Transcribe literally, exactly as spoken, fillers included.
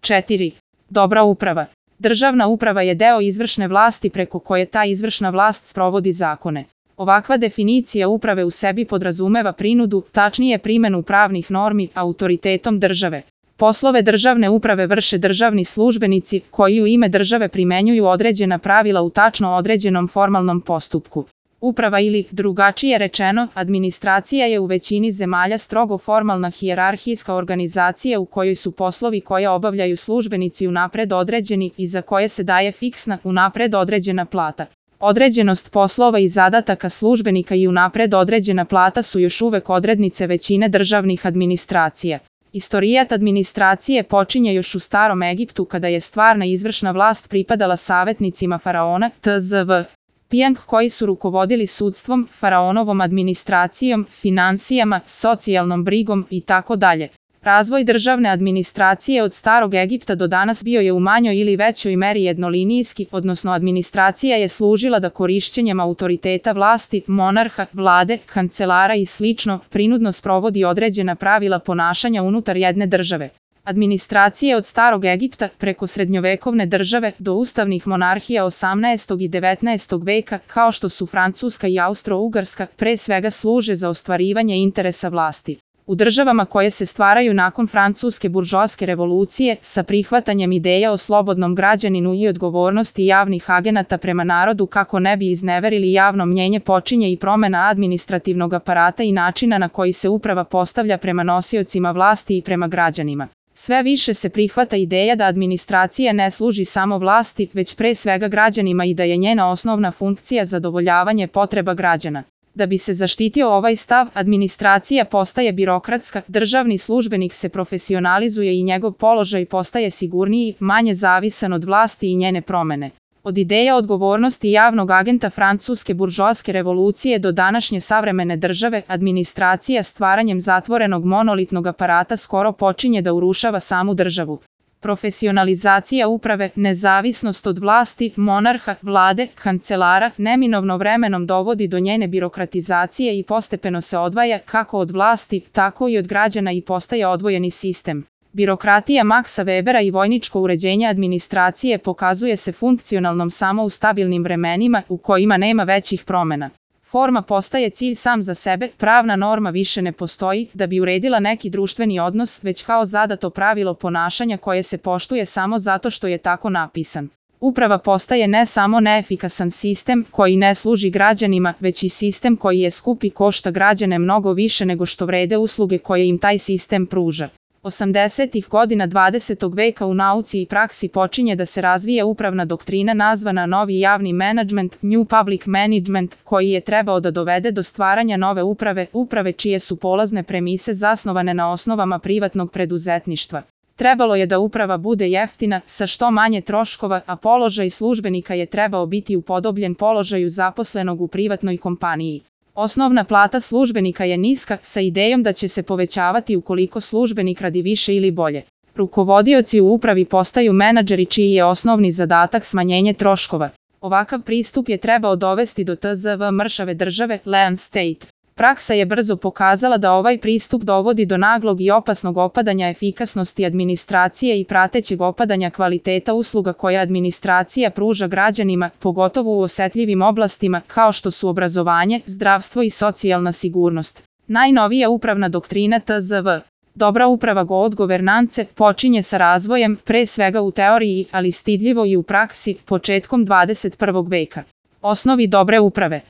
četiri. Dobra uprava. Državna uprava je deo izvršne vlasti preko koje ta izvršna vlast sprovodi zakone. Ovakva definicija uprave u sebi podrazumeva prinudu, tačnije primenu pravnih normi, autoritetom države. Poslove državne uprave vrše državni službenici koji u ime države primenjuju određena pravila u tačno određenom formalnom postupku. Uprava ili, drugačije rečeno, administracija je u većini zemalja strogo formalna hijerarhijska organizacija u kojoj su poslovi koje obavljaju službenici unapred određeni i za koje se daje fiksna, unapred određena plata. Određenost poslova i zadataka službenika i unapred određena plata su još uvek odrednice većine državnih administracija. Istorijat administracije počinje još u Starom Egiptu kada je stvarna izvršna vlast pripadala savetnicima faraona, tzv. Pijang, koji su rukovodili sudstvom, faraonovom administracijom, finansijama, socijalnom brigom i tako dalje. Razvoj državne administracije od Starog Egipta do danas bio je u manjoj ili većoj meri jednolinijski, odnosno administracija je služila da korišćenjem autoriteta vlasti, monarha, vlade, kancelara i slično, prinudno sprovodi određena pravila ponašanja unutar jedne države. Administracije od Starog Egipta, preko srednjovekovne države, do ustavnih monarhija osamnaestog i devetnaestog veka, kao što su Francuska i Austro-Ugarska, pre svega služe za ostvarivanje interesa vlasti. U državama koje se stvaraju nakon francuske buržoaske revolucije, sa prihvatanjem ideja o slobodnom građaninu i odgovornosti javnih agenata prema narodu kako ne bi izneverili javno mnjenje, počinje i promena administrativnog aparata i načina na koji se uprava postavlja prema nosiocima vlasti i prema građanima. Sve više se prihvata ideja da administracija ne služi samo vlasti, već pre svega građanima i da je njena osnovna funkcija zadovoljavanje potreba građana. Da bi se zaštitio ovaj stav, administracija postaje birokratska, državni službenik se profesionalizuje i njegov položaj postaje sigurniji, manje zavisan od vlasti i njene promene. Od ideja odgovornosti javnog agenta francuske buržoaske revolucije do današnje savremene države, administracija stvaranjem zatvorenog monolitnog aparata skoro počinje da urušava samu državu. Profesionalizacija uprave, nezavisnost od vlasti, monarha, vlade, kancelara, neminovno vremenom dovodi do njene birokratizacije i postepeno se odvaja kako od vlasti, tako i od građana i postaje odvojeni sistem. Birokratija Maxa Webera i vojničko uređenje administracije pokazuje se funkcionalnom samo u stabilnim vremenima u kojima nema većih promena. Forma postaje cilj sam za sebe, pravna norma više ne postoji da bi uredila neki društveni odnos, već kao zadato pravilo ponašanja koje se poštuje samo zato što je tako napisan. Uprava postaje ne samo neefikasan sistem koji ne služi građanima, već i sistem koji je skup i košta građane mnogo više nego što vrede usluge koje im taj sistem pruža. osamdesetih godina dvadesetog veka u nauci i praksi počinje da se razvija upravna doktrina nazvana novi javni menadžment, New Public Management, koji je trebao da dovede do stvaranja nove uprave, uprave čije su polazne premise zasnovane na osnovama privatnog preduzetništva. Trebalo je da uprava bude jeftina, sa što manje troškova, a položaj službenika je trebao biti upodobljen položaju zaposlenog u privatnoj kompaniji. Osnovna plata službenika je niska, sa idejom da će se povećavati ukoliko službenik radi više ili bolje. Rukovodioci u upravi postaju menadžeri čiji je osnovni zadatak smanjenje troškova. Ovakav pristup je trebao dovesti do tzv. Mršave države, Lean State. Praksa je brzo pokazala da ovaj pristup dovodi do naglog i opasnog opadanja efikasnosti administracije i pratećeg opadanja kvaliteta usluga koje administracija pruža građanima, pogotovo u osetljivim oblastima kao što su obrazovanje, zdravstvo i socijalna sigurnost. Najnovija upravna doktrina tzv. Dobra uprava god governance počinje sa razvojem, pre svega u teoriji, ali stidljivo i u praksi, početkom dvadeset prvog veka. Osnovi dobre uprave.